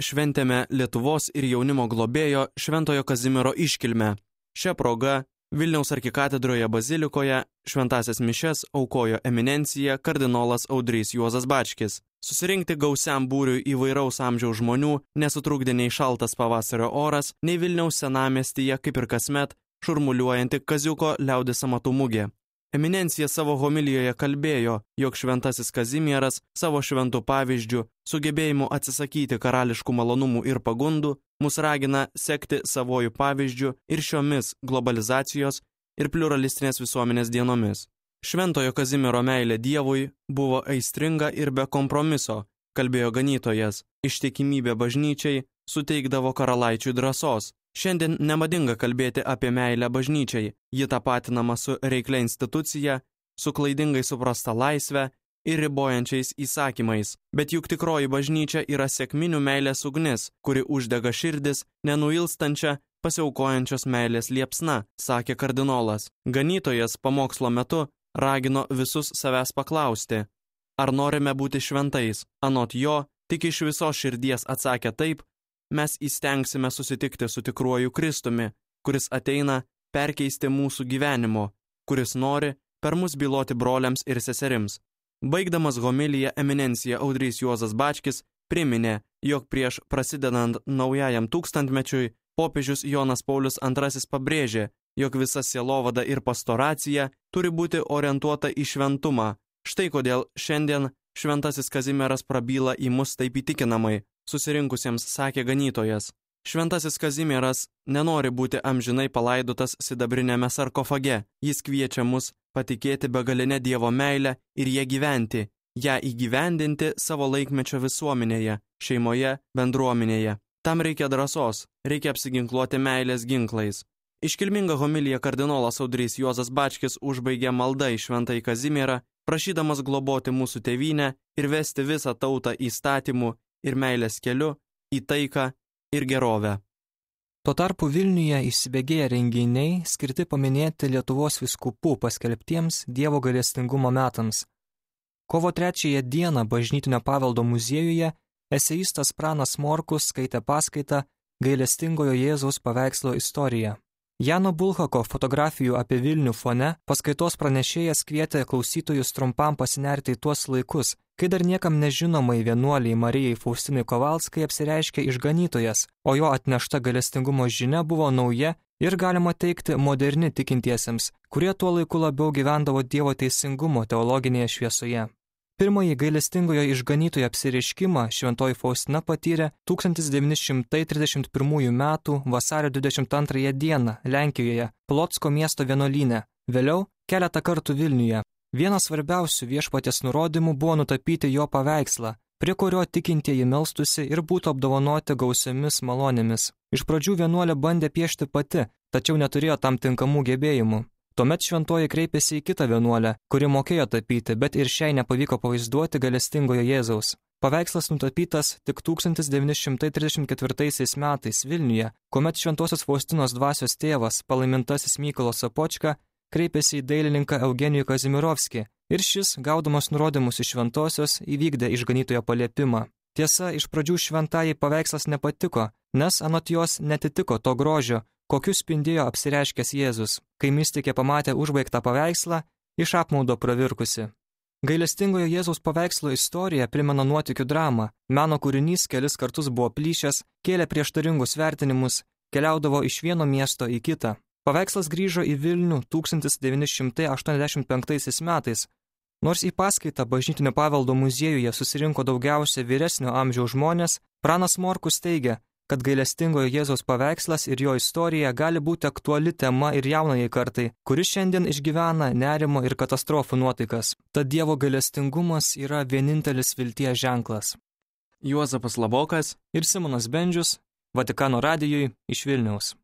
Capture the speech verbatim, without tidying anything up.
šventėme Lietuvos ir jaunimo globėjo Šventojo Kazimiero iškilmę. Šia proga Vilniaus arkikatedroje bazilikoje šventąsias mišias aukojo eminencija kardinolas Audrys Juozas Bačkis. Susirinkti gausiam būriui įvairaus amžiaus žmonių nesutrukdė nei šaltas pavasario oras, nei Vilniaus senamiestyje, kaip ir kasmet, šurmuliuojanti Kaziuko liaudies amatų mugė. Eminencija savo homilijoje kalbėjo, jog šventasis Kazimieras savo šventų pavyzdžių, sugebėjimu atsisakyti karališkų malonumų ir pagundų, mus ragina sekti savojų pavyzdžių ir šiomis globalizacijos ir pluralistinės visuomenės dienomis. Šventojo Kazimiero meilė Dievui buvo aistringa ir be kompromiso, kalbėjo ganytojas. Ištikimybė bažnyčiai suteikdavo karalaičiui drąsos. Šiandien nemadinga kalbėti apie meilę bažnyčiai, ji tapatinama su reiklia institucija, su klaidingai suprasta laisve ir ribojančiais įsakymais. Bet juk tikroji bažnyčia yra sekminių meilės ugnis, kuri uždega širdis nenuilstančia, pasiaukojančios meilės liepsna, sakė kardinolas. Ganytojas pamokslo metu ragino visus savęs paklausti, ar norime būti šventais. Anot jo, tik iš visos širdies atsakę taip, mes įstengsime susitikti su tikruoju Kristumi, kuris ateina perkeisti mūsų gyvenimo, kuris nori per mus byloti broliams ir seserims. Baigdamas homiliją eminencija Audrys Juozas Bačkis priminė, jog prieš prasidedant naujajam tūkstantmečiui popiežius Jonas Paulius antrasis pabrėžė, jog visa sielovada ir pastoracija turi būti orientuota į šventumą. Štai kodėl šiandien šventasis Kazimieras prabyla į mus taip įtikinamai, susirinkusiems sakė ganytojas. Šventasis Kazimieras nenori būti amžinai palaidotas sidabrinėme sarkofage. Jis kviečia mus patikėti begalinę Dievo meilę ir ją gyventi, ją įgyvendinti savo laikmečio visuomenėje, šeimoje, bendruomenėje. Tam reikia drąsos, reikia apsiginkluoti meilės ginklais. Iškilmingą homiliją kardinolas Audrys Juozas Bačkis užbaigė malda į Šventąjį Kazimierą, prašydamas globoti mūsų tėvynę ir vesti visą tautą įstatymų ir meilės keliu į taiką ir gerovę. Tuo tarpu Vilniuje įsibėgėję renginiai skirti paminėti Lietuvos vyskupų paskelbtiems Dievo gailestingumo metams. Kovo trečiąją dieną Bažnytinio paveldo muziejuje eseistas Pranas Morkus skaitė paskaitą Gailestingojo Jėzaus paveikslo istorija. Jano Bulhako fotografijų apie Vilnių fone paskaitos pranešėjas kvietė klausytojus trumpam pasinerti į tuos laikus, kai dar niekam nežinomai vienuoliai Marijai Faustinai Kovalskai apsireiškė išganytojas, o jo atnešta gailestingumo žinia buvo nauja ir galima teikti moderni tikintiesiems, kurie tuo laiku labiau gyvendavo Dievo teisingumo teologinėje šviesoje. Pirmąjį gailestingojo išganytojo apsireiškimą šventoji Faustina patyrė tūkstantis devyni šimtai trisdešimt pirmųjų metų vasario dvidešimt antrąją dieną Lenkijoje, Plotsko miesto vienuolyne, vėliau keletą kartų Vilniuje. Vienas svarbiausių viešpaties nurodymų buvo nutapyti jo paveikslą, prie kurio tikintieji melstusi ir būtų apdovanoti gausiomis malonėmis. Iš pradžių vienuolė bandė piešti pati, tačiau neturėjo tam tinkamų gebėjimų. Tuomet šventoji kreipėsi į kitą vienuolę, kuri mokėjo tapyti, bet ir šiai nepavyko pavaizduoti gailestingojo Jėzaus. Paveikslas nutapytas tik tūkstantis devyni šimtai trisdešimt ketvirtaisiais metais Vilniuje, kuomet šventosios Faustinos dvasios tėvas, palaimintasis Mykolas Sopočka, kreipėsi į dailininką Eugenijų Kazimirovskį ir šis, gaudamas nurodymus iš šventosios, įvykdė išganytojo paliepimą. Tiesa, iš pradžių šventajai paveikslas nepatiko, nes anot jos netitiko to grožio, kokiu spindėjo apsireiškęs Jėzus. Kai mistikė pamatė užbaigtą paveikslą, iš apmaudo pravirkusi. Gailestingojo Jėzaus paveikslo istorija primena nuotykių dramą. Meno kūrinys kelis kartus buvo plyšęs, kėlė prieštaringus vertinimus, keliaudavo iš vieno miesto į kitą. Paveikslas grįžo į Vilnių tūkstantis devyni šimtai aštuoniasdešimt penktaisiais metais. Nors į paskaitą Bažnytinio paveldo muziejuje susirinko daugiausia vyresnio amžiaus žmonės, Pranas Morkus teigia, kad gailestingojo Jėzaus paveikslas ir jo istorija gali būti aktuali tema ir jaunajai kartai, kuri šiandien išgyvena nerimo ir katastrofų nuotaikas. Tad Dievo gailestingumas yra vienintelis vilties ženklas. Juozapas Labokas ir Simonas Bendžius, Vatikano radijui iš Vilniaus.